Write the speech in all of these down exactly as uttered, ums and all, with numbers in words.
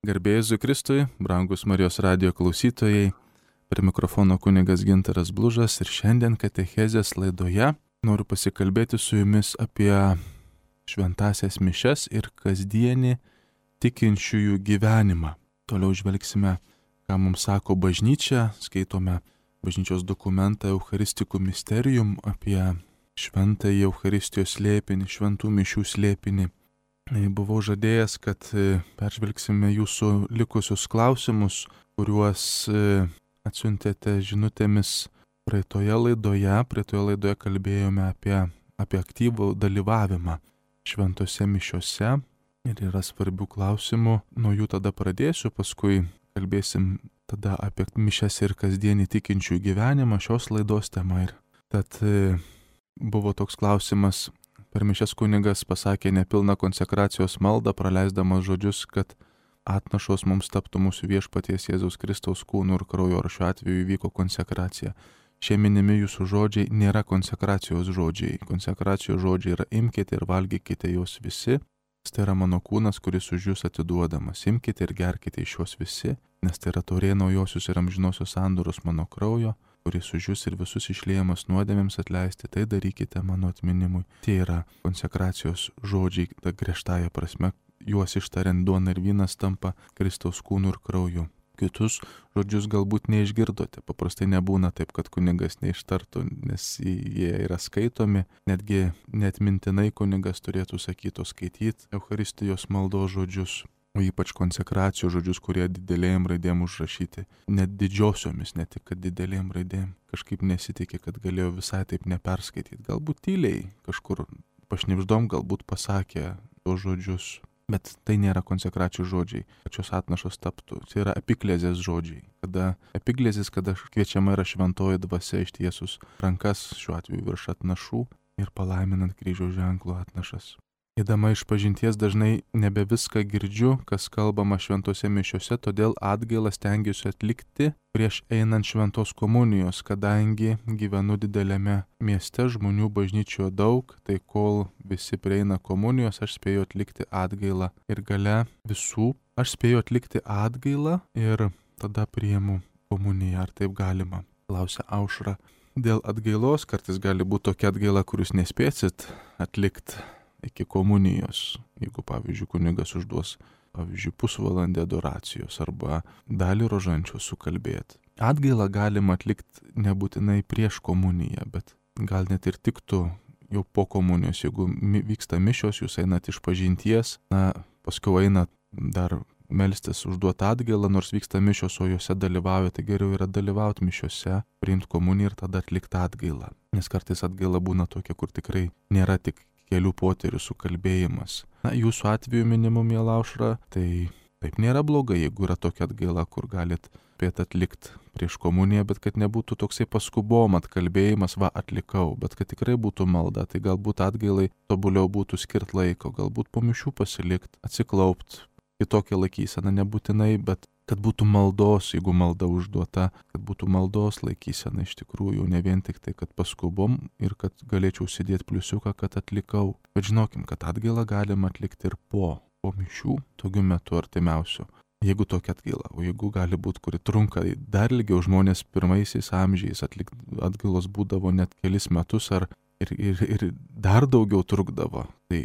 Garbė Jėzui Kristui, brangus Marijos radijo klausytojai, prie mikrofono kunigas Gintaras Blužas ir šiandien katechezės laidoje noriu pasikalbėti su jumis apie šventąsias mišias ir kasdienį tikinčiųjų gyvenimą. Toliau žvelgsime, ką mums sako bažnyčia, skaitome bažnyčios dokumentą Eucharistikų Mysterium apie šventąjį Eucharistijos slėpinį, šventų mišių slėpinį. Buvau žadėjęs, kad peržvelgsime jūsų likusius klausimus, kuriuos atsiuntėte žinutėmis praeitoje laidoje. Praeitoje laidoje kalbėjome apie, apie aktyvų dalyvavimą šventose mišiose ir yra svarbių klausimų. Nuo jų tada pradėsiu, paskui kalbėsim tada apie mišias ir kasdienį tikinčių gyvenimą, šios laidos tema. Ir tad buvo toks klausimas. Per mišias kunigas pasakė nepilną konsekracijos maldą, praleisdamas žodžius, kad atnašos mums taptų mūsų viešpaties Jėzaus Kristaus kūnų ir kraujo, ar šiuo atveju įvyko konsekracija. Šie minimi jūsų žodžiai nėra konsekracijos žodžiai. Konsekracijos žodžiai yra imkite ir valgykite juos visi. Tai yra mano kūnas, kuris už jūs atiduodamas. Imkite ir gerkite iš juos visi, nes tai yra taurė naujosios ir amžinosios sandoros mano kraujo, kuris už jūs ir visus išliejamas nuodėmėms atleisti, tai darykite mano atminimui. Tai yra konsekracijos žodžiai, ta griežtąja prasme, juos ištariant duona ir vynas tampa Kristaus kūnu ir krauju. Kitus žodžius galbūt neišgirdote, paprastai nebūna taip, kad kunigas neištartų, nes jie yra skaitomi, netgi neatmintinai kunigas turėtų sakyti, skaityti Eucharistijos maldos žodžius, o ypač konsekracijos žodžius, kurie didelėm raidėm užrašyti, net didžiosiomis, ne tik kad didelėm raidėm. Kažkaip nesitikė, kad galėjo visai taip neperskaityti. Galbūt tyliai kažkur pašnibždom, galbūt pasakė tos žodžius, bet tai nėra konsekracijos žodžiai, kad šios atnašos taptų. Tai yra epiklezės žodžiai. Kada epiklezės, kada kviečiama yra šventoji dvasia ištiesus rankas, šiuo atveju virš atnašų ir palaiminant kryžiaus ženklo atnašas. Eidama iš pažinties dažnai nebe viską girdžiu, kas kalbama šventose mišiose, todėl atgailą stengiuosi atlikti prieš einant šventos komunijos, kadangi gyvenu dideliame mieste, žmonių bažnyčioje daug, tai kol visi prieina komunijos, aš spėju atlikti atgailą ir gale visų, aš spėju atlikti atgailą ir tada priimu komuniją, ar taip galima, klausia Aušra. Dėl atgailos kartais gali būti tokia atgaila, kur jūs nespėsit atlikti iki komunijos, jeigu, pavyzdžiui, kunigas užduos, pavyzdžiui, pusvalandį adoracijos arba dalį rožančios sukalbėti. Atgailą galima atlikti nebūtinai prieš komuniją, bet gal net ir tiktų jau po komunijos, jeigu vyksta mišios, jūs einat iš pažinties, na, paskui einat dar melstis užduoti atgailą, nors vyksta mišios, o juose dalyvauja, tai geriau yra dalyvauti mišiose, priimti komuniją ir tada atlikti atgailą. Nes kartais atgaila būna tokia, kur tikrai nėra tik kelių poterių sukalbėjimas. Na, jūsų atveju minimu, miela Aušra, tai taip nėra blogai, jeigu yra tokia atgaila, kur galit spėt atlikti prieš komuniją, bet kad nebūtų toksai paskubom atkalbėjimas, va atlikau, bet kad tikrai būtų malda, tai galbūt atgailai tobuliau būtų skirt laiko, galbūt po mišių pasilikt, atsiklaupt, kitokią laikyseną nebūtinai, bet kad būtų maldos, jeigu malda užduota, kad būtų maldos laikysena iš tikrųjų, ne vien tik tai, kad paskubom ir kad galėčiau sėdėti pliusiuką, kad atlikau. Bet žinokim, kad atgailą galima atlikti ir po, po mišių, tokiu metu artimiausiu. Jeigu tokia atgaila, o jeigu gali būti, kuri trunka dar ilgiau, žmonės pirmaisiais amžiais atlik, atgailos būdavo net kelis metus ar ir, ir, ir dar daugiau trukdavo. Tai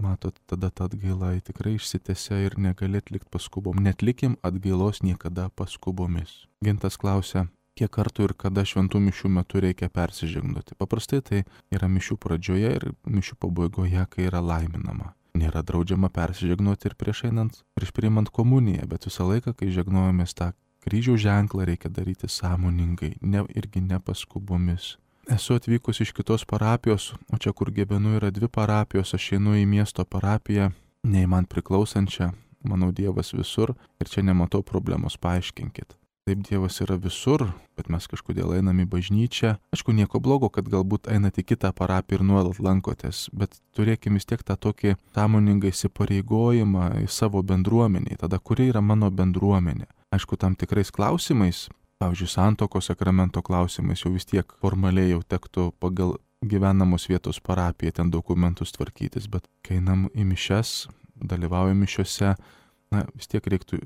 matot, tada ta atgaila tikrai išsitęsia ir negali atlikti paskubom. Netlikim atgailos niekada paskubomis. Gintas klausia, kiek kartų ir kada šventų mišių metu reikia persižegnoti. Paprastai tai yra mišių pradžioje ir mišių pabaigoje, kai yra laiminama. Nėra draudžiama persižegnoti ir prieš einant, prieš priimant komuniją, bet visą laiką, kai žegnojamės tą kryžiaus ženklą, reikia daryti sąmoningai, ne, irgi ne paskubomis. Esu atvykus iš kitos parapijos, o čia, kur gyvenu, yra dvi parapijos, aš einu į miesto parapiją, nei man priklausančią, manau, Dievas visur ir čia nematau problemos, paaiškinkit. Taip, Dievas yra visur, bet mes kažkodėl einam į bažnyčią. Aišku, nieko blogo, kad galbūt einate į kitą parapiją ir nuolat lankotės, bet turėkime vis tiek tą tokį sąmoningą įsipareigojimą į savo bendruomenį. Tada, kuri yra mano bendruomenė? Aišku, tam tikrais klausimais, pavyzdžiui, santuokos sakramento klausimais jau vis tiek formaliai jau tektų pagal gyvenamos vietos parapiją ten dokumentus tvarkytis, bet kai einam į mišias, dalyvaujam mišiose, na, vis tiek reiktų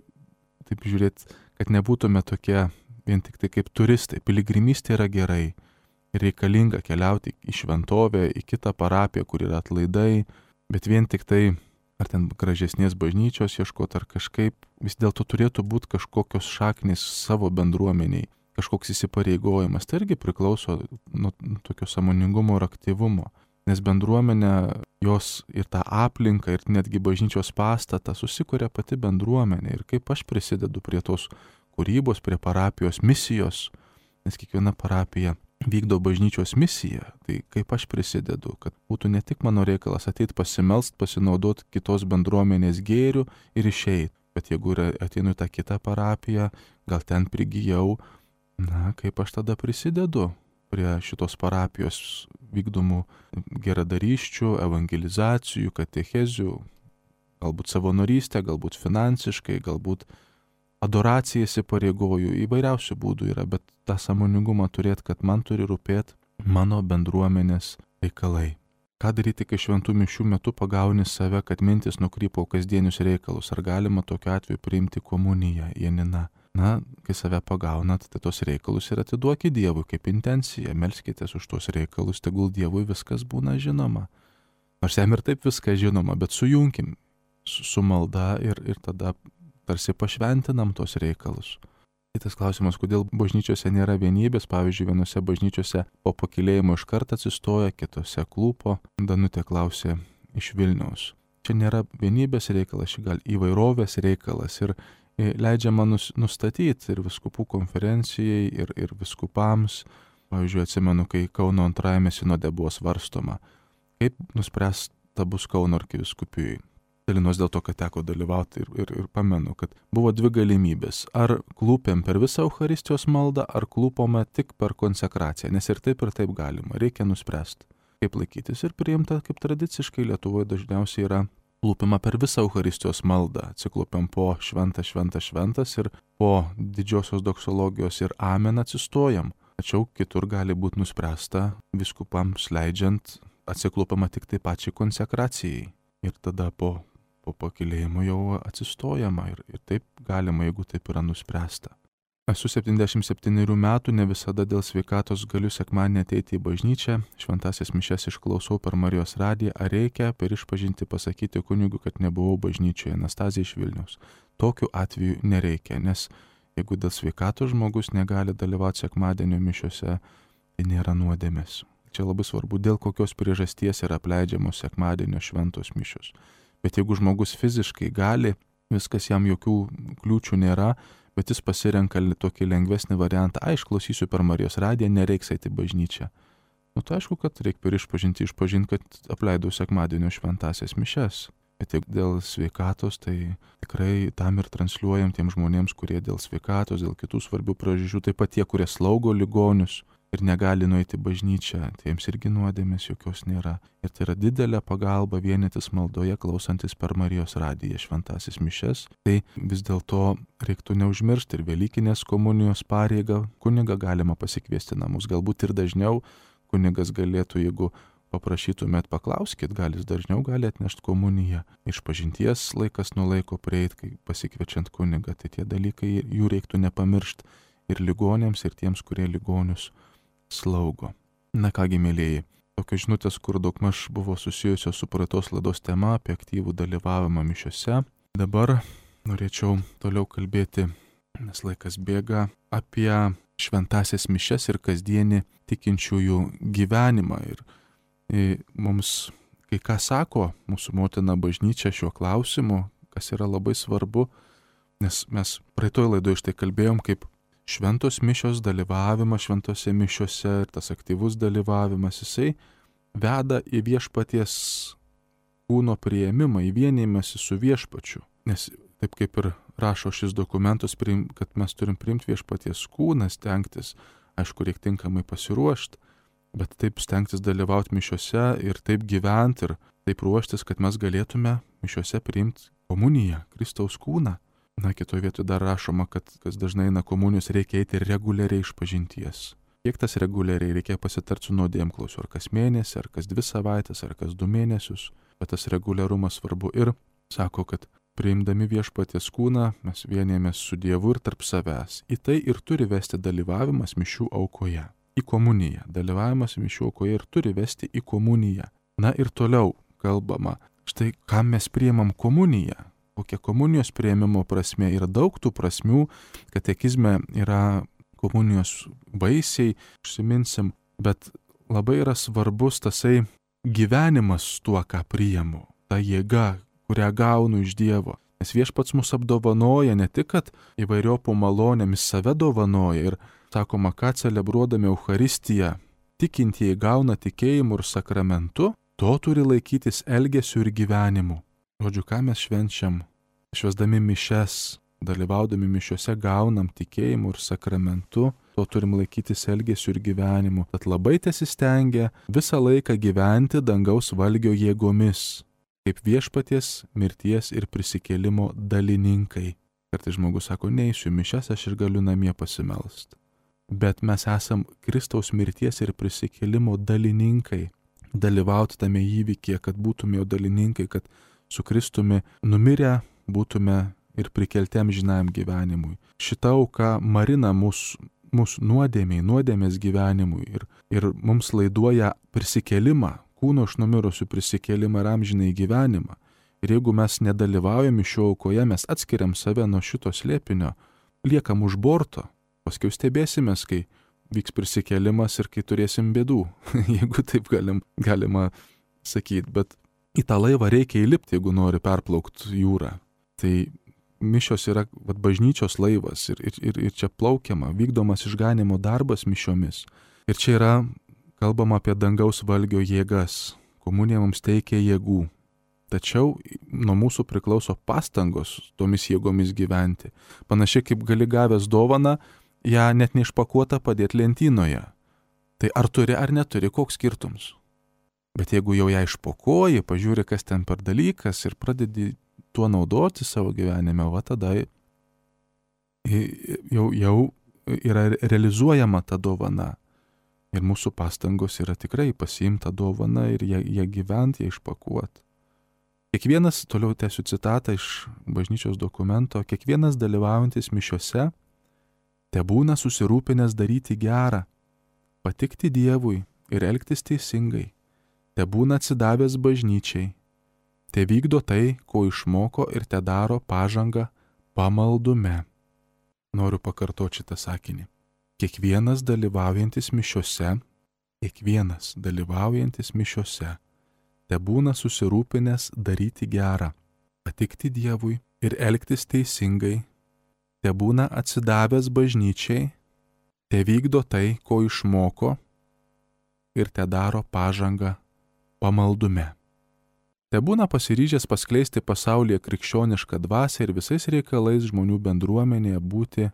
taip žiūrėti, kad nebūtume tokie vien tik tai kaip turistai. Piligrimystė yra gerai, reikalinga keliauti į šventovę, į kitą parapiją, kur yra atlaidai, bet vien tik tai, ar ten gražesnės bažnyčios ieškoti, ar kažkaip, vis dėlto turėtų būti kažkokios šaknys savo bendruomeniai, kažkoks įsipareigojimas. Tai irgi priklauso nuo tokio sąmoningumo ir aktyvumo, nes bendruomenė, jos ir tą aplinką, ir netgi bažnyčios pastatą susikuria pati bendruomenė. Ir kaip aš prisidedu prie tos kūrybos, prie parapijos misijos, nes kiekviena parapija vykdo bažnyčios misiją, tai kaip aš prisidedu, kad būtų ne tik mano reikalas ateit pasimelst, pasinaudoti kitos bendruomenės gėrių ir išeit, bet jeigu ateinu į tą kitą parapiją, gal ten prigijau, na, kaip aš tada prisidedu prie šitos parapijos vykdomų geradarysčių, evangelizacijų, katechezių, galbūt savanorystę, galbūt finansiškai, galbūt adoracija įsipareigoju, įvairiausių būdų yra, bet tą sąmoningumą turėti, kad man turi rūpėti mano bendruomenės reikalai. Ką daryti, kai šventų mišių metu pagauni save, kad mintis nukrypo kasdienius reikalus? Ar galima tokiu atveju priimti komuniją, Janina? Na, kai save pagaunat, tai tos reikalus ir atiduokit Dievui kaip intenciją, melskitės už tos reikalus, tegul Dievui viskas būna žinoma. Nors jam ir taip viskas žinoma, bet sujunkim su, su malda ir, ir tada tarsi pašventinam tos reikalus. Kitas klausimas, kodėl bažnyčiose nėra vienybės, pavyzdžiui, vienose bažnyčiose po pakilėjimo iš karto atsistoja, kitose klūpo. Danutė klausė iš Vilniaus. Čia nėra vienybės reikalas, čia gal įvairovės reikalas ir leidžiama nustatyti ir vyskupų konferencijai, ir, ir vyskupams. Pavyzdžiui, atsimenu, kai Kauno antrajame sinode buvo svarstoma, kaip nuspręsta bus Kauno arkivyskupijai. Dalinos dėl to, kad teko dalyvauti ir, ir, ir pamenu, kad buvo dvi galimybės. Ar klūpėm per visą Eucharistijos maldą, ar klūpome tik per konsekraciją, nes ir taip ir taip galima. Reikia nuspręsti, kaip laikytis, ir priimta, kaip tradiciškai Lietuvoje dažniausiai yra klūpima per visą Eucharistijos maldą. Atsiklūpiam po šventas, šventas, šventas ir po didžiosios doksologijos ir amen atsistojam. Tačiau kitur gali būti nuspręsta vyskupams leidžiant atsiklūpama tik tai pačiai konsekracijai. Ir tada po po pakilėjimo jau atsistojama ir, ir taip galima, jeigu taip yra nuspręsta. Esu septyniasdešimt septynerių metų, ne visada dėl sveikatos galiu sekmadienį ateiti į bažnyčią, šventąsias mišias išklausau per Marijos radiją, ar reikia per išpažintį pasakyti kunigui, kad nebuvau bažnyčioje, Anastazija iš Vilniaus. Tokiu atveju nereikia, nes jeigu dėl sveikatos žmogus negali dalyvauti sekmadienio mišiuose, tai nėra nuodėmės. Čia labai svarbu, dėl kokios priežasties yra apleidžiamos sekmadienio šventos mišios. Bet jeigu žmogus fiziškai gali, viskas jam jokių kliūčių nėra, bet jis pasirenka tokį lengvesnį variantą, ai, išklausysiu per Marijos radiją, nereiks eiti į bažnyčią. Nu, tai aišku, kad reikia per išpažinti, išpažinti, kad apleidau sekmadienio šventąsias mišias. Bet jeigu dėl sveikatos, tai tikrai tam ir transliuojam tiem žmonėms, kurie dėl sveikatos, dėl kitų svarbių priežasčių, taip pat tie, kurie slaugo ligonius ir negali nueiti bažnyčią, tai jiems irgi nuodėmės jokios nėra. Ir tai yra didelė pagalba vienytis maldoje, klausantis per Marijos radiją šventąsias mišias. Tai vis dėlto reiktų neužmiršti ir Velykinės komunijos pareigą. Kunigą galima pasikviesti namus, galbūt ir dažniau kunigas galėtų, jeigu paprašytumėt, paklauskit, gal jis dažniau gali atnešti komuniją. Išpažinties laikas nuo laiko prieit, kai pasikviečiant kunigą, tai tie dalykai jų reiktų nepamiršti ir ligonėms, ir tiems, kurie ligonius slaugo. Na kągi, mėlyjeji, tokios žinutės, kur daugmaž buvo susijusios su praeitos laidos tema apie aktyvų dalyvavimą mišiose. Dabar norėčiau toliau kalbėti, nes laikas bėga, apie šventąsias mišias ir kasdienį tikinčiųjų gyvenimą. Ir, ir mums kai ką sako mūsų motina bažnyčia šiuo klausimu, kas yra labai svarbu, nes mes praeitoje laidoje štai kalbėjom, kaip šventos mišios dalyvavimas šventose mišiose ir tas aktyvus dalyvavimas, jisai veda į viešpaties kūno priėmimą, į vienymąsi su viešpačiu. Nes taip kaip ir rašo šis dokumentas, kad mes turim priimti viešpaties kūną, stengtis, aišku, reikia tinkamai pasiruošti, bet taip stengtis dalyvauti mišiose ir taip gyventi ir taip ruoštis, kad mes galėtume mišiose priimti komuniją, Kristaus kūną. Na, kitoje vietoje dar rašoma, kad kas dažnai eina komunijos, reikia eiti reguliariai išpažinties. Kiek tas reguliariai reikia pasitarti su nuodėmklausiu, ar kas mėnesį, ar kas dvi savaitės, ar kas du mėnesius, bet tas reguliarumas svarbu. Ir sako, kad priimdami viešpaties kūną, mes vienėmės su Dievu ir tarp savęs. Į tai ir turi vesti dalyvavimas mišių aukoje. Į komuniją. Dalyvavimas mišių aukoje ir turi vesti į komuniją. Na ir toliau kalbama, štai kam mes priimam komuniją. Kokia komunijos priėmimo prasme. Yra daug tų prasmių, katekizme yra komunijos vaisiai, užsiminsim, bet labai yra svarbus tasai gyvenimas tuo, ką priimu. Ta jėga, kurią gaunu iš Dievo. Nes Viešpats mus apdovanoja ne tik, kad įvairiopų malonėmis save dovanoja ir sakoma, ką celebruodami Eucharistiją, tikintieji gauna tikėjimu ir sakramentu, to turi laikytis elgesiu ir gyvenimu. Žodžiu, ką mes švenčiam, švęsdami mišes, dalyvaudami mišiuose gaunam tikėjimu ir sakramentu, to turim laikytis elgesiu ir gyvenimu. Tad labai tesistengia visą laiką gyventi dangaus valgio jėgomis, kaip viešpaties mirties ir prisikėlimo dalininkai. Kartais žmogus sako, neįsiu mišes, aš ir galiu namie pasimelst. Bet mes esam Kristaus mirties ir prisikėlimo dalininkai. Dalyvauti tame įvykyje, kad būtume jo dalininkai, kad su Kristumi numirę būtume ir prikelti amžinajam gyvenimui. Šita auka marina mus, mus nuodėmiai, nuodėmės gyvenimui ir, ir mums laiduoja prisikėlimą, kūno iš numirusių prisikėlimą ir amžinai gyvenimą. Ir jeigu mes nedalyvaujame šio aukoje, mes atskiriam save nuo šito slėpinio, liekam už borto, paskui stebėsimės, kai vyks prisikėlimas ir kai turėsim bėdų, jeigu taip galim, galima sakyti. Bet į tą laivą reikia įlipti, jeigu nori perplaukti jūrą. Tai mišios yra vat, bažnyčios laivas ir, ir, ir, ir čia plaukiama, vykdomas išganimo darbas mišiomis. Ir čia yra kalbama apie dangaus valgio jėgas. Komunija mums teikia jėgų. Tačiau nuo mūsų priklauso pastangos tomis jėgomis gyventi. Panašiai kaip gali gavęs dovaną, ją net neišpakuotą padėti lentynoje. Tai ar turi ar neturi, koks skirtums? Bet jeigu jau ją išpakuoji, pažiūri, kas ten per dalykas ir pradedi tuo naudoti savo gyvenime, va tada jau, jau yra realizuojama ta dovana. Ir mūsų pastangos yra tikrai pasiimta dovana ir ją, ją gyventi, ją išpakuoti. Kiekvienas, toliau tęsiu citatą iš bažnyčios dokumento, kiekvienas dalyvaujantis mišiose tebūna susirūpinęs daryti gerą, patikti Dievui ir elgtis teisingai, tebūna atsidavęs bažnyčiai, te vykdo tai, ko išmoko ir te daro pažangą pamaldume. Noriu pakartoti šitą sakinį. Kiekvienas dalyvaujantis mišiose, kiekvienas dalyvaujantis mišiose, tebūna susirūpinęs daryti gerą, patikti Dievui ir elgtis teisingai, tebūna atsidavęs bažnyčiai, te vykdo tai, ko išmoko ir te daro pažangą pamaldume. Tebūna pasiryžęs paskleisti pasaulyje krikščionišką dvasią ir visais reikalais žmonių bendruomenėje būti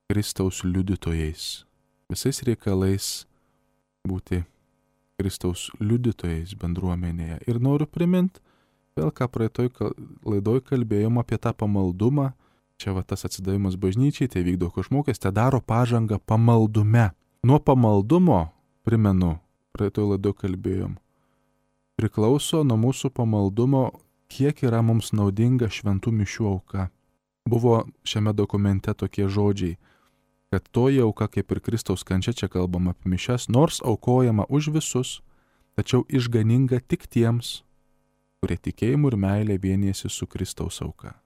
Kristaus liudytojais. Visais reikalais būti Kristaus liudytojais bendruomenėje. Ir noriu priminti, vėl ką praeitoj laidoj kalbėjom apie tą pamaldumą. Čia va tas atsidavimas bažnyčiai, tai vykdo kažmokės, tai daro pažangą pamaldume. Nuo pamaldumo, primenu, praeitoj laidoj kalbėjom, priklauso nuo mūsų pamaldumo, kiek yra mums naudinga šventų mišių auka. Buvo šiame dokumente tokie žodžiai, kad toji auka kaip ir Kristaus kančia, čia kalbama apie mišes, nors aukojama už visus, tačiau išganinga tik tiems, kurie tikėjimu ir meilė vienijasi su Kristaus auka.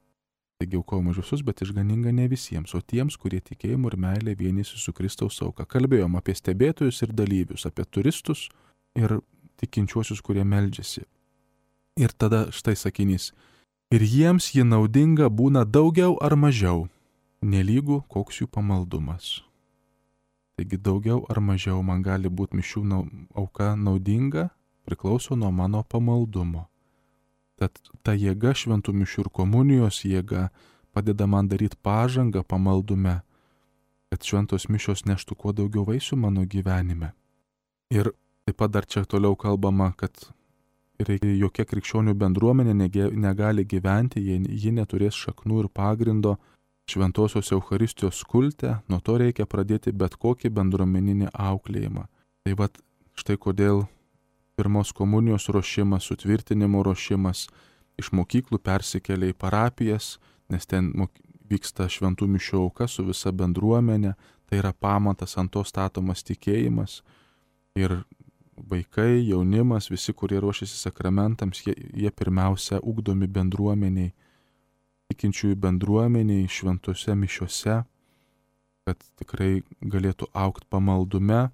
Taigi aukojama už visus, bet išganinga ne visiems, o tiems, kurie tikėjimu ir meilė vienijasi su Kristaus auka. Kalbėjom apie stebėtojus ir dalyvius, apie turistus ir tikinčiuosius, kurie meldžiasi. Ir tada štai sakinys. Ir jiems ji naudinga būna daugiau ar mažiau, nelygu koks jų pamaldumas. Taigi daugiau ar mažiau man gali būti mišių auka naudinga, priklauso nuo mano pamaldumo. Tad ta jėga šventų mišių ir komunijos jėga padeda man daryti pažangą pamaldume, kad šventos mišios neštų kuo daugiau vaisių mano gyvenime. Ir taip pat dar čia toliau kalbama, kad jokia krikščionių bendruomenė negali gyventi, jei ji neturės šaknų ir pagrindo šventosios Eucharistijos kulte, nuo to reikia pradėti bet kokį bendruomeninį auklėjimą. Tai vat štai kodėl pirmos komunijos ruošimas, sutvirtinimo ruošimas, iš mokyklų persikelia į parapijas, nes ten vyksta šventų mišių auka su visa bendruomenė, tai yra pamatas, ant to statomas tikėjimas. Ir vaikai, jaunimas, visi, kurie ruošiasi sakramentams, jie, jie pirmiausia ugdomi bendruomeniai, tikinčiųjų bendruomeniai, šventose mišiose, kad tikrai galėtų augti pamaldume,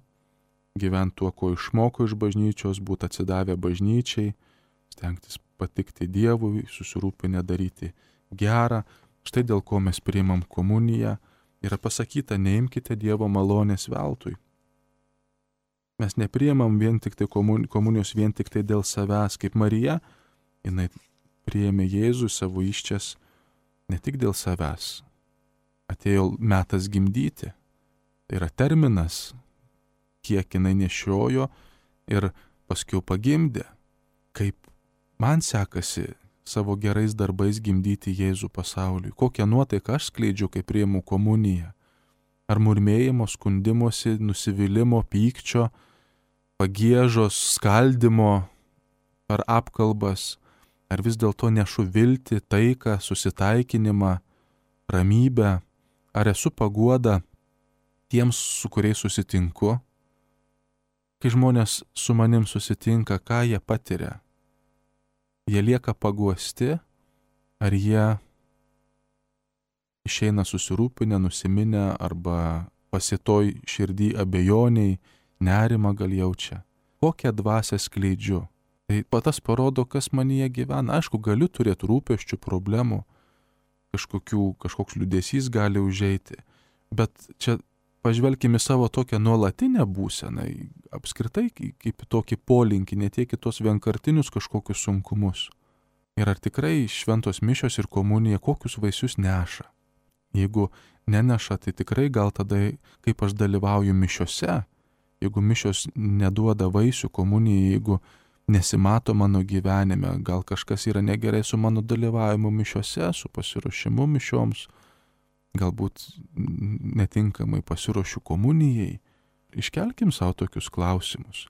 gyventi tuo, ko išmoko iš bažnyčios, būti atsidavę bažnyčiai, stengtis patikti Dievui, susirūpinę daryti gerą. Štai dėl ko mes priimam komuniją. Yra pasakyta, neimkite Dievo malonės veltui. Mes nepriimam vien tik tai komunijos vien tik tai dėl savęs, kaip Marija, jinai priėmė Jėzų savo įsčias ne tik dėl savęs. Atėjo metas gimdyti. Tai yra terminas, kiek jinai nešiojo ir paskiau pagimdė. Kaip man sekasi savo gerais darbais gimdyti Jėzų pasauliui. Kokią nuotaiką aš skleidžiu, kai priimu komuniją. Ar murmėjimo, skundimosi, nusivylimimo, pykčio, pagiežos, skaldimo, ar apkalbas, ar vis dėlto nešu viltį, taiką, susitaikinimą, ramybę, ar esu paguoda tiems, su kuriais susitinku. Kai žmonės su manim susitinka, ką jie patiria? Jie lieka paguosti, ar jie išeina susirūpinę, nusiminę, arba pasitoj širdį abejoniai, nerimą gal jaučia. Kokią dvasią skleidžiu? Tai patas parodo, kas manyje gyvena. Aišku, galiu turėti rūpesčių, problemų, kažkokių, kažkoks liūdesys gali užeiti, bet čia pažvelkime savo tokią nuolatinę būseną, apskritai kaip tokį polinkį, ne tiek į tos vienkartinius kažkokius sunkumus. Ir ar tikrai šventos mišios ir komunija kokius vaisius neša? Jeigu neneša, tai tikrai gal tada, kaip aš dalyvauju mišiose, jeigu mišios neduoda vaisių komunijai, jeigu nesimato mano gyvenime, gal kažkas yra negerai su mano dalyvavimu mišiose, su pasiruošimu mišioms, galbūt netinkamai pasiruošiu komunijai. Iškelkim savo tokius klausimus.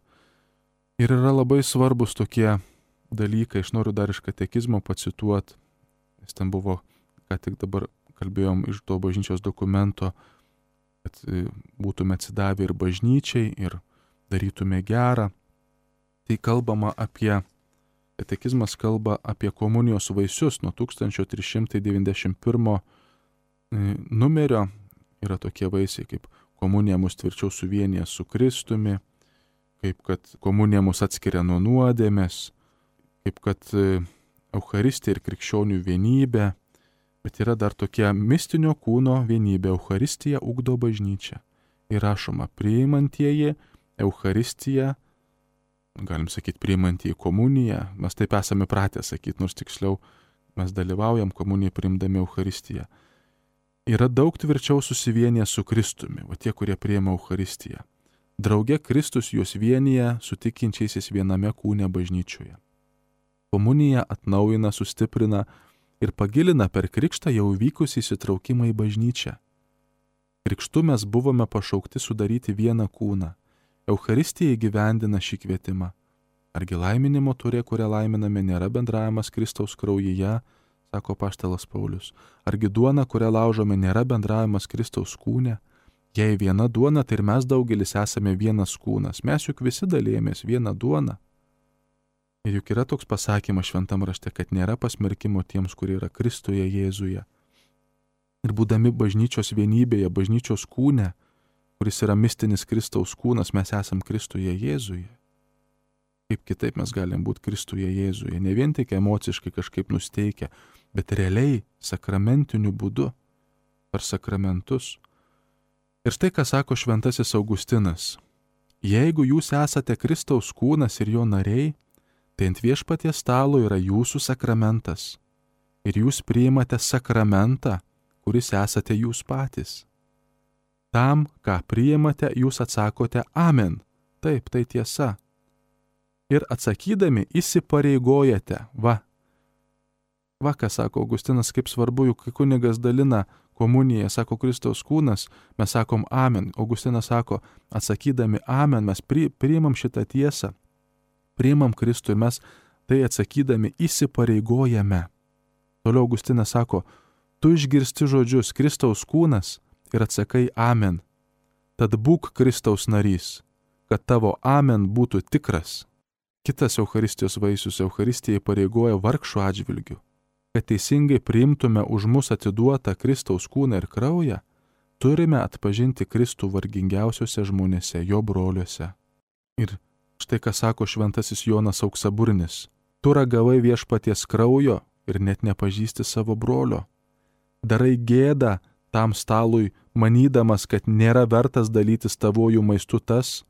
Ir yra labai svarbus tokie dalykai, aš noriu dar iš katekizmo pacituoti, nes ten buvo, ką tik dabar kalbėjom iš to bažnyčios dokumento, kad būtume atsidavę ir bažnyčiai, ir darytume gerą. Tai kalbama apie, katekizmas kalba apie komunijos vaisius nuo tūkstantis trys šimtai devyniasdešimt pirmo numerio. Yra tokie vaisiai, kaip komunija mus tvirčiau suvienyje su Kristumi, kaip kad komunija mus atskiria nuo nuodėmės, kaip kad Eucharistija ir krikščionių vienybė, bet yra dar tokia mistinio kūno vienybė. Eucharistija ugdo bažnyčią. Ir rašoma, priimantieji Eucharistiją, galim sakyti, priimantieji komuniją, mes taip esame pratę sakyti, nors tiksliau mes dalyvaujam komuniją priimdami Eucharistiją. Yra daug tvirčiau susivienyje su Kristumi, o tie, kurie priima Eucharistiją. Drauge Kristus juos vienyje su tikinčiaisiais viename kūne bažnyčioje. Komunija atnaujina, sustiprina ir pagilina per krikštą jau vykusį įsitraukimą į bažnyčią. Krikštu mes buvome pašaukti sudaryti vieną kūną. Eucharistija įgyvendina šį kvietimą. Argi laiminimo turė, kurią laiminame, nėra bendravimas Kristaus kraujyje, sako apaštalas Paulius. Argi duona, kurią laužome, nėra bendravimas Kristaus kūne? Jei viena duona, tai ir mes daugelis esame vienas kūnas. Mes juk visi dalėjomės vieną duoną. Ir juk yra toks pasakymas šventam rašte, kad nėra pasmerkimo tiems, kurie yra Kristuje Jėzuje. Ir būdami bažnyčios vienybėje, bažnyčios kūne, kuris yra mistinis Kristaus kūnas, mes esam Kristuje Jėzuje. Kaip kitaip mes galim būti Kristuje Jėzuje, ne vien tik emociškai kažkaip nusteikę, bet realiai sakramentiniu būdu, per sakramentus. Ir štai ką sako šventasis Augustinas. Jeigu jūs esate Kristaus kūnas ir jo nariai, tai ant viešpaties stalo yra jūsų sakramentas. Ir jūs priimate sakramentą, kuris esate jūs patys. Tam, ką priimate, jūs atsakote amen. Taip, tai tiesa. Ir atsakydami įsipareigojate. Va. Va, ką sako Augustinas, kaip svarbu, juk kai kunigas dalina komuniją, sako Kristaus kūnas, mes sakom amen. Augustinas sako, atsakydami amen, mes pri, priimam šitą tiesą. Priimam Kristų ir mes tai atsakydami įsipareigojame. Toliau Augustinas sako, tu išgirsti žodžius Kristaus kūnas ir atsakai amen. Tad būk Kristaus narys, kad tavo amen būtų tikras. Kitas Eucharistijos vaisius Eucharistija įpareigoja vargšų atžvilgių. Kad teisingai priimtume už mus atiduotą Kristaus kūną ir kraują, turime atpažinti Kristų vargingiausiuose žmonėse, jo broliuose. Ir štai ką sako šventasis Jonas Auksaburnis. Tu ragavai viešpaties kraujo ir net nepažįsti savo brolio. Darai gėdą tam stalui, manydamas, kad nėra vertas dalytis tavojų maistu tas,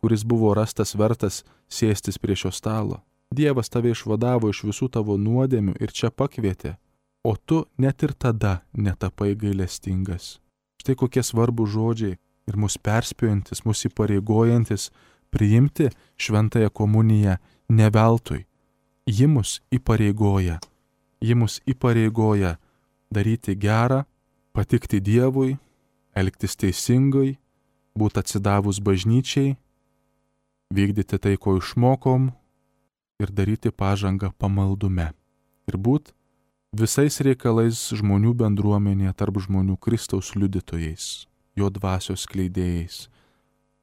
kuris buvo rastas vertas sėstis prie šio stalo. Dievas tave išvadavo iš visų tavo nuodėmių ir čia pakvietė, o tu net ir tada netapai gailestingas. Štai kokie svarbų žodžiai ir mus perspėjantis, mus įpareigojantis priimti šventąją komuniją ne veltui. Ji mus įpareigoja, ji mus įpareigoja daryti gerą, patikti Dievui, elgtis teisingai, būti atsidavus bažnyčiai, vykdyti tai, ko išmokom ir daryti pažangą pamaldume. Ir būt visais reikalais žmonių bendruomenėje tarp žmonių Kristaus liudytojais, jo dvasios skleidėjais,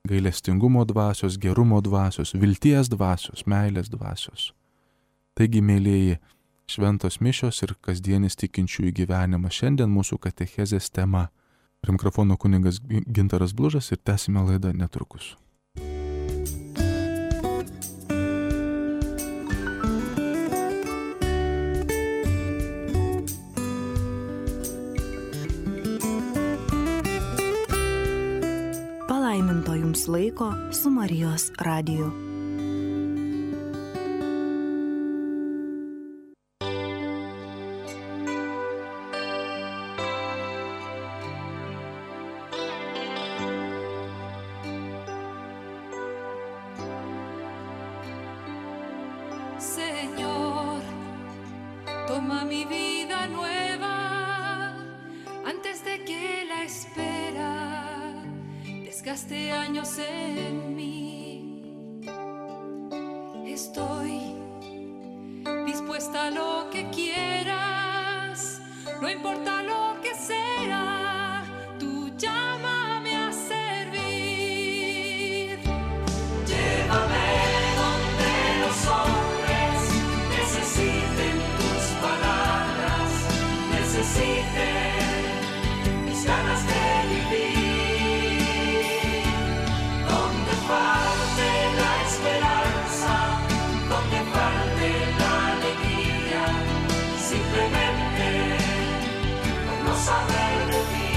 gailestingumo dvasios, gerumo dvasios, vilties dvasios, meilės dvasios. Taigi, mėlieji, šventos mišios ir kasdienis tikinčiųjų gyvenimas šiandien mūsų katechezės tema. Prie mikrofono kunigas Gintaras Blužas ir tęsime laidą netrukus. Palaiminto jums laiko su Marijos radiju. Señor, toma mi vida nueva antes de que la espera desgaste años en mí. Estoy dispuesta a lo que quieras, no importa lo que sea, tú llámame a servir. Llévame donde los hombres necesiten tus palabras, necesiten mis ganas de vivir. Donde falte la esperanza, donde falte la alegría, simplemente por no saber de ti.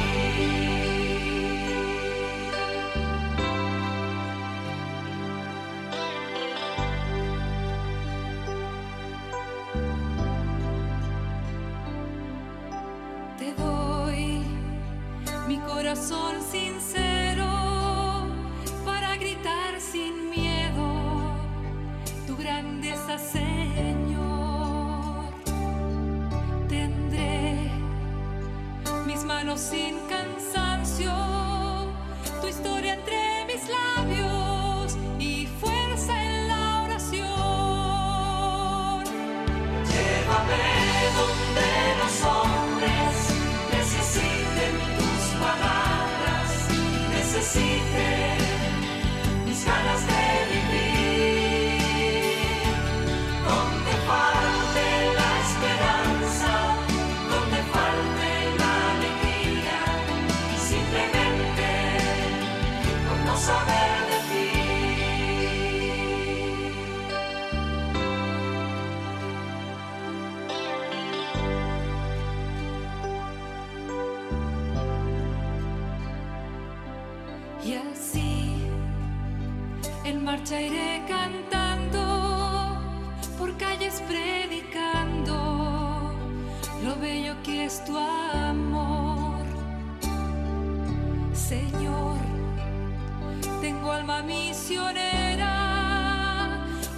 Te doy mi corazón sincero para gritar sin miedo tu grandeza, Señor. Tendré mis manos sin cansancio, tu historia entre mis labios y fuerza en la oración. Llévame donde los hombres necesiten tus palabras, necesiten mis ganas de vivir. Donde falte la esperanza, donde falte la alegría, simplemente por no saber de ti. Y así en marcha iré cantando, por calles predicando lo bello que es tu amor. Señor, tengo alma misionera,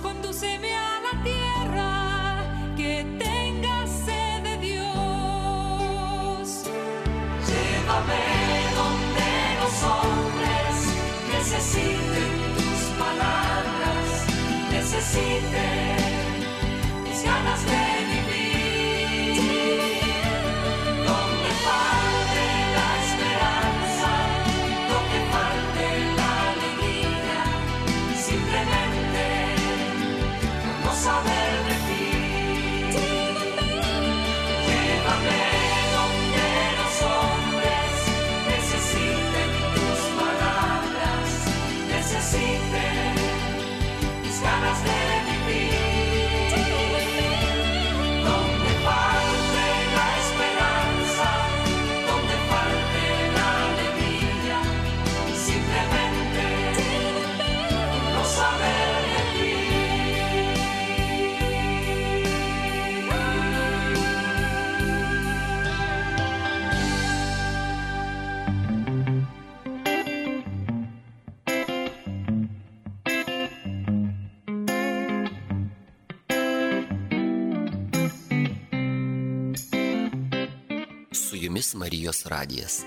condúceme a la tierra que tenga sed de Dios. Llévame donde los hombres necesiten tus palabras, necesiten Jumis Marijos radijas.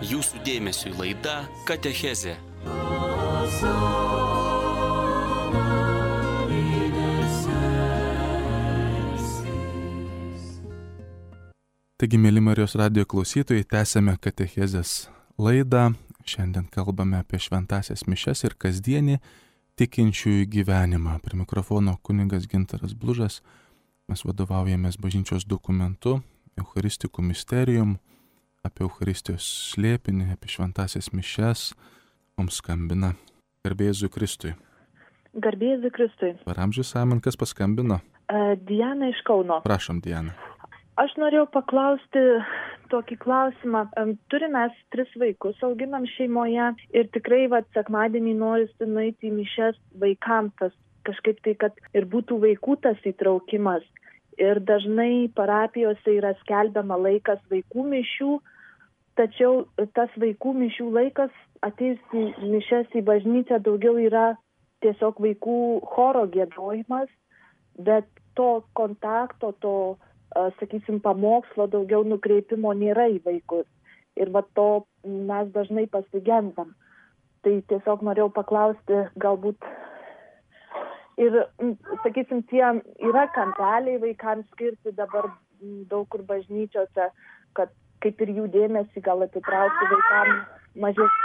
Jūsų dėmesiui laida Katechezė. Taigi, mėly Marijos radijo klausytojai, tęsėme Katechezės laidą. Šiandien kalbame apie šventąsias mišias ir kasdienį tikinčiųjų gyvenimą. Prie mikrofono kunigas Gintaras Blužas. Mes vadovaujamės bažnyčios dokumentu, Eucharistikų misterijum, apie Eucharistijos slėpinį, apie šventąsias mišias. Mums skambina Garbėzui Kristui. Garbėzui Kristui. Paramžius Amen, kas paskambino? Uh, Diana iš Kauno. Prašom, Diana. Aš norėjau paklausti tokį klausimą. Turime mes tris vaikus, auginam šeimoje ir tikrai vat, sekmadienį norisi nueiti į mišias vaikams, tas kažkaip tai, kad ir būtų vaikų tas įtraukimas. Ir dažnai parapijose yra skelbiama laikas vaikų mišių, tačiau tas vaikų mišių laikas atėjus į mišias į bažnyčią daugiau yra tiesiog vaikų choro giedojimas, bet to kontakto, to sakysim, pamokslo daugiau nukreipimo nėra į vaikus. Ir va to mes dažnai pasigendam. Tai tiesiog norėjau paklausti, galbūt ir, sakysim, tie yra kampeliai vaikams skirti dabar daug kur bažnyčiose, kad kaip ir jų dėmesį gal atitraukti vaikams mažes,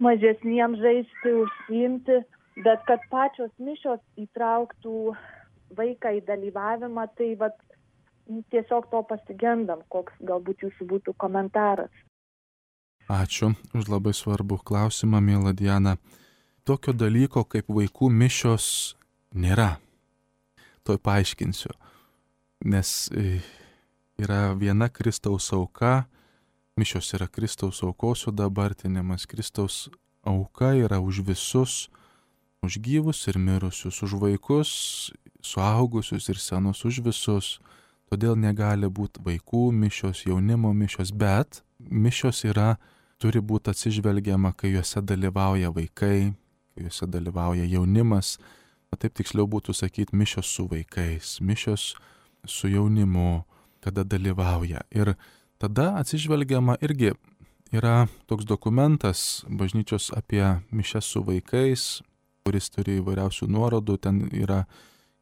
mažesniems žaisti, užsiimti, bet kad pačios mišios įtrauktų vaiką į dalyvavimą, tai vat tiesiog to pasigendam, koks galbūt jūsų būtų komentaras. Ačiū už labai svarbų klausimą, miela Diana. Tokio dalyko kaip vaikų mišios nėra. Tuoj paaiškinsiu. Nes yra viena Kristaus auka, mišios yra Kristaus aukos sudabartinimas. Kristaus auka yra už visus, už gyvus ir mirusius, už vaikus, suaugusius ir senus, už visus. Todėl negali būti vaikų mišios, jaunimo mišios, bet mišios yra, turi būti atsižvelgiama, kai juose dalyvauja vaikai, kai juose dalyvauja jaunimas, o taip tiksliau būtų sakyti mišios su vaikais, mišios su jaunimu, kada dalyvauja. Ir tada atsižvelgiama irgi yra toks dokumentas bažnyčios apie mišias su vaikais, kuris turi įvairiausių nuorodų, ten yra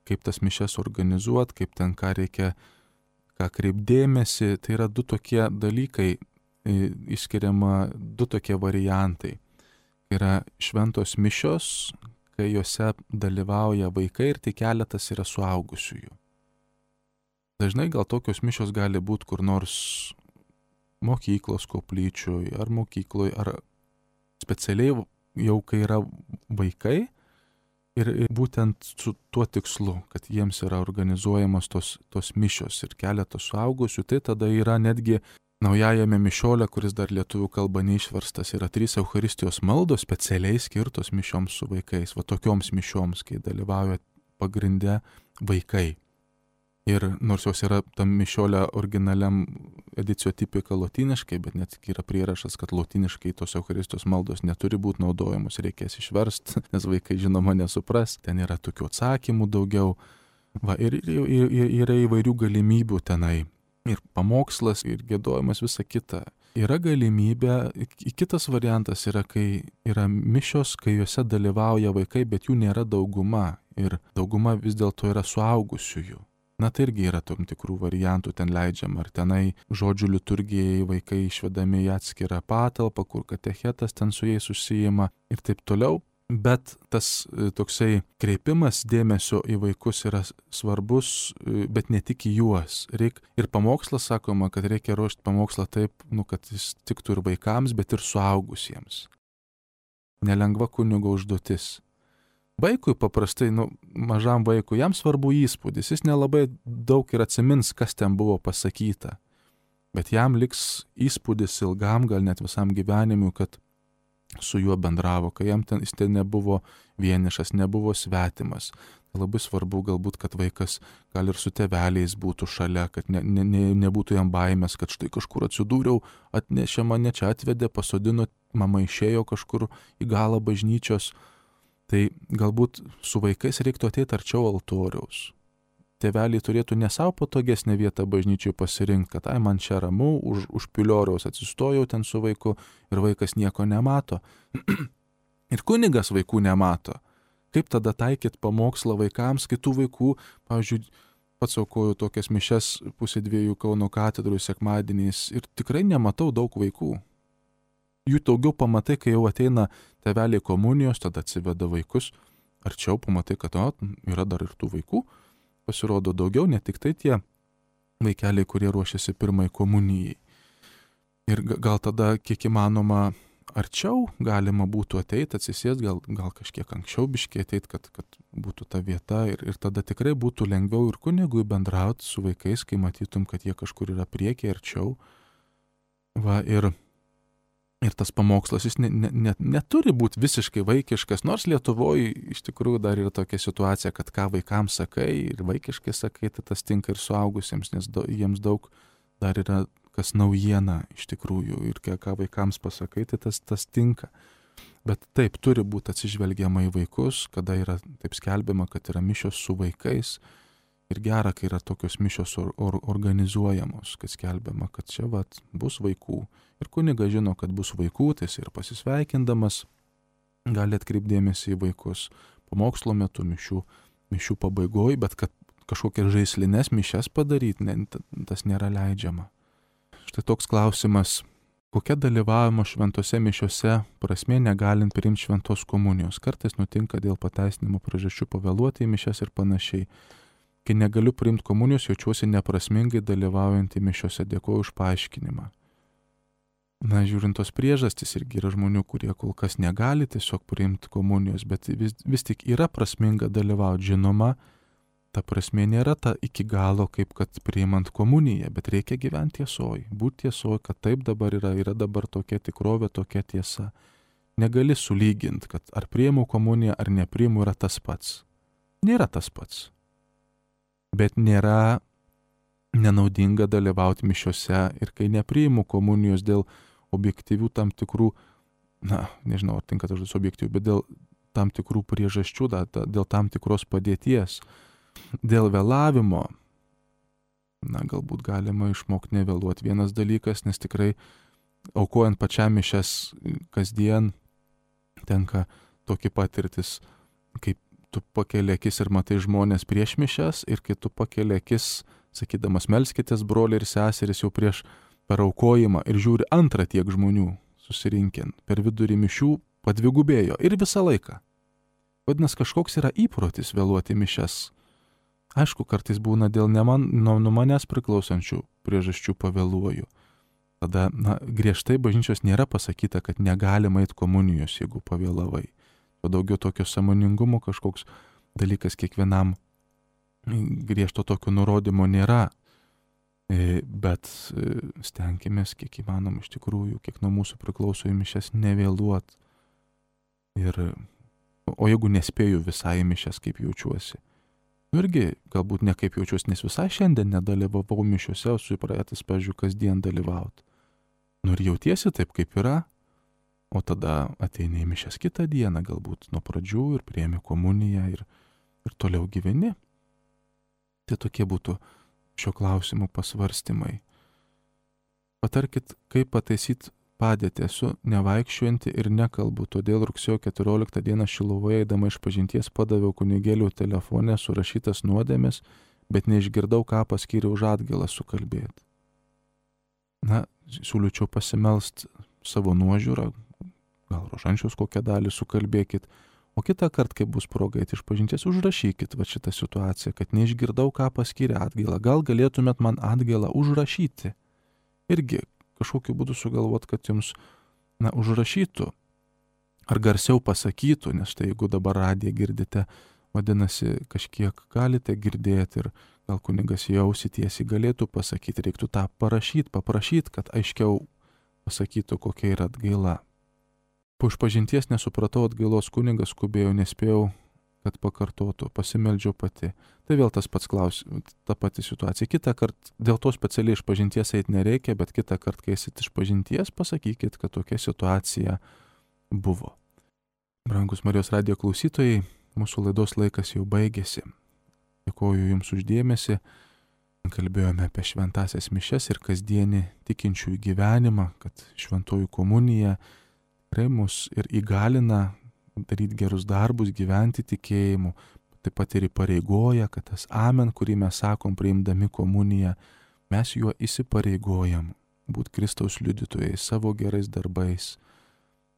kaip tas mišias organizuoti, kaip ten ką reikia ką kreipdėmėsi, tai yra du tokie dalykai, išskiriama du tokie variantai. Yra šventos mišios, kai juose dalyvauja vaikai ir tik keletas yra suaugusiųjų. Dažnai gal tokios mišios gali būti kur nors mokyklos koplyčioj, ar mokykloj, ar specialiai jau kai yra vaikai, ir būtent su tuo tikslu, kad jiems yra organizuojamos tos, tos mišios ir keletas suaugusių, tai tada yra netgi naujajame mišiole, kuris dar lietuvių kalba neišverstas, yra trys Eucharistijos maldos specialiai skirtos mišioms su vaikais, va tokioms mišioms, kai dalyvauja pagrinde vaikai. Ir nors jos yra tam mišiolė originaliam edicio tipika lotyniškai, bet net yra prierašas, kad lotyniškai tos Eucharistijos maldos neturi būti naudojamos, reikės išversti, nes vaikai žinoma nesupras, ten yra tokių atsakymų daugiau. Va, ir, ir, ir yra įvairių galimybių tenai. Ir pamokslas, ir giedojimas, visa kita. Yra galimybė, kitas variantas yra, kai yra mišios, kai juose dalyvauja vaikai, bet jų nėra dauguma. Ir dauguma vis dėlto yra suaugusiųjų. Na tai irgi yra tam tikrų variantų ten leidžiama. Ar tenai žodžių liturgijai vaikai išvedami į atskirą patalpą, kur katechetas ten su jais užsijima ir taip toliau. Bet tas toksai kreipimas dėmesio į vaikus yra svarbus, bet ne tik į juos. Reik, ir pamokslas sakoma, kad reikia ruošti pamokslą taip, nu, kad jis tiktų ir vaikams, bet ir suaugusiems. Nelengva kunigo užduotis. Vaikui paprastai, nu, mažam vaikui, jam svarbu įspūdis, jis nelabai daug ir atsimins, kas ten buvo pasakyta. Bet jam liks įspūdis ilgam, gal net visam gyvenimui, kad su juo bendravo, kai jam ten, jis ten nebuvo vienišas, nebuvo svetimas. Tai labai svarbu galbūt, kad vaikas gal ir su tėveliais būtų šalia, kad ne, ne, ne, nebūtų jam baimės, kad štai kažkur atsidūriau, atnešė mane čia, atvedė, pasodino, mama išėjo kažkur į galą bažnyčios. Tai galbūt su vaikais reiktų ateiti arčiau altoriaus. Tėveliai turėtų ne savo patogesnę vietą bažnyčiai pasirinkti, kad ai man čia ramu, už, už pilioriaus atsistojau ten su vaiku ir vaikas nieko nemato. Ir kunigas vaikų nemato. Kaip tada taikyti pamokslą vaikams, kai tų vaikų, pavyzdžiui, pats aukoju tokias mišias pusė dviejų Kauno katedrų sekmadieniais ir tikrai nematau daug vaikų. Jų daugiau pamatai, kai jau ateina tėveliai komunijos, tada atsiveda vaikus. Arčiau pamatai, kad o, yra dar ir tų vaikų. Pasirodo daugiau, ne tik tai tie vaikeliai, kurie ruošiasi pirmai komunijai. Ir gal tada, kiek įmanoma, arčiau galima būtų ateiti, atsisės, gal, gal kažkiek anksčiau biškiai ateiti, kad, kad būtų ta vieta. Ir, ir tada tikrai būtų lengviau ir kunigui bendrauti su vaikais, kai matytum, kad jie kažkur yra priekyje, arčiau. Va, ir... Ir tas pamokslas, jis ne, ne, ne, neturi būti visiškai vaikiškas, nors Lietuvoje iš tikrųjų dar yra tokia situacija, kad ką vaikams sakai ir vaikiškai sakai, tai tas tinka ir suaugusiems, nes do, jiems daug dar yra kas naujiena iš tikrųjų ir ką vaikams pasakai, tai tas, tas tinka. Bet taip, turi būti atsižvelgiama į vaikus, kada yra taip skelbiama, kad yra mišios su vaikais. Ir gera, kai yra tokios mišios or, or, organizuojamos, kad skelbiama, kad čia vat, bus vaikų. Ir kunigas žino, kad bus vaikų, tai jis ir pasisveikindamas gali atkreipdėmėsi į vaikus pamokslo metu, mišių, mišių pabaigoj, bet kad kažkokias žaislinės mišias padaryti, ne, tas nėra leidžiama. Štai toks klausimas, kokia dalyvavimo šventose mišiose prasmė negalint priimti šventos komunijos. Kartais nutinka dėl pateisinimo priežasčių pavėluoti į mišias ir panašiai. Kai negaliu priimti komunijos, jaučiuosi neprasmingai dalyvaujant į mišiose, dėkoju už paaiškinimą. Na, žiūrint tos priežastys, irgi yra žmonių, kurie kol kas negali tiesiog priimti komunijos, bet vis, vis tik yra prasminga dalyvauti. Žinoma, ta prasmė nėra ta iki galo, kaip kad priimant komuniją, bet reikia gyventi tiesoj, būti tiesoj, kad taip dabar yra, yra dabar tokia tikrovė, tokia tiesa. Negali sulyginti, kad ar priimu komuniją, ar nepriimu yra tas pats. Nėra tas pats. Bet nėra nenaudinga dalyvauti mišiose ir kai nepriimu komunijos dėl objektyvių tam tikrų, na, nežinau, ar tinka tas žodis objektyvių, bet dėl tam tikrų priežasčių, da, da, dėl tam tikros padėties, dėl vėlavimo, na, galbūt galima išmokti nevėluoti. Vienas dalykas, nes tikrai aukojant pačiam mišias kasdien tenka tokia patirtis, kaip tu pakeli akis ir matai žmonės prieš mišias ir kai tu pakeli akis, sakydamas melskitės broliai ir seserys jau prieš per aukojimą ir žiūri antrą tiek žmonių susirinkin, per vidurį mišių padvigubėjo ir visą laiką. Vadinasi, kažkoks yra įprotis vėluoti mišias. Aišku, kartais būna dėl ne man, nuo, nuo manęs priklausančių priežasčių pavėluoju. Tada, na, griežtai bažnyčios nėra pasakyta, kad negalima eiti komunijos, jeigu pavėlavai. O daugiau tokio sąmoningumo kažkoks dalykas kiekvienam griežto tokio nurodymo nėra. Bet stenkimės, kiek įmanom iš tikrųjų, kiek nuo mūsų priklauso į mišias nevėluot. Ir, o jeigu nespėju visai į mišias, kaip jaučiuosi, Nu irgi galbūt nekaip jaučiuosi, nes visai šiandien nedalyvavau mišiuose, o su įpratęs, pavyzdžiui, kasdien dalyvauti. Nu ir jautiesi taip, kaip yra, o tada ateini į mišias kitą dieną, galbūt nuo pradžių ir priemi komuniją ir, ir toliau gyveni. Tai tokie būtų šio klausimų pasvarstymai. Patarkit, kaip pataisyti padėtį. Esu nevaikščiuojanti ir nekalbu, todėl rugsėjo keturioliktą dieną Šiluvoje eidama išpažinties padaviau kunigėlių telefone surašytas nuodėmes, bet neišgirdau, ką paskyrė už atgailą sukalbėti. Na, siūlyčiau pasimelst savo nuožiūrą, gal rožančiaus kokią dalį sukalbėkit, o kitą kartą, kai bus proga eiti išpažinties, užrašykit va šitą situaciją, kad neišgirdau, ką paskyrė atgailą. Gal galėtumėt man atgailą užrašyti? Irgi kažkokiu būdu sugalvot, kad jums, na, užrašytų ar garsiau pasakytų, nes tai jeigu dabar radiją girdite, vadinasi, kažkiek galite girdėti ir gal kunigas jausi tiesiai galėtų pasakyti, reiktų tą parašyti, paprašyti, kad aiškiau pasakytų, kokia yra atgaila. Po išpažinties nesupratau atgailos, kunigas skubėjo, nespėjau, kad pakartotų, pasimeldžiau pati. Tai vėl tas pats klausimas, ta pati situacija. Kitą kartą, dėl to specialiai išpažinties eiti nereikia, bet kitą kartą, kai esit išpažinties, pasakykit, kad tokia situacija buvo. Brangus Marijos radijo klausytojai, mūsų laidos laikas jau baigėsi. Dėkoju Jums už dėmesį. Kalbėjome apie šventąsias mišias ir kasdienį tikinčiųjų gyvenimą, kad šventoji komunija tikrai mus ir įgalina daryti gerus darbus, gyventi tikėjimu, taip pat ir įpareigoja, kad tas amen, kurį mes sakom priimdami komuniją, mes juo įsipareigojam būti Kristaus liudytojai savo gerais darbais,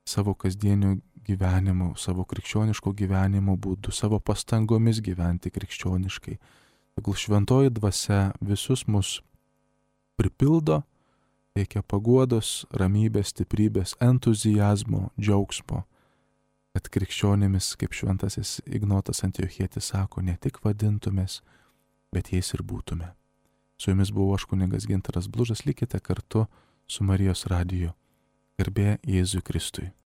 savo kasdieniu gyvenimu, savo krikščioniško gyvenimo būdu, savo pastangomis gyventi krikščioniškai. Tegul šventoji dvasia visus mus pripildo, teikia paguodos, ramybės, stiprybės, entuzijazmo, džiaugsmo, kad krikščionimis, kaip šventasis Ignotas Antiochietis sako, ne tik vadintumės, bet jais ir būtume. Su Jumis buvau aš kunigas Gintaras Blužas, likite kartu su Marijos radiju. Garbė Jėzui Kristui.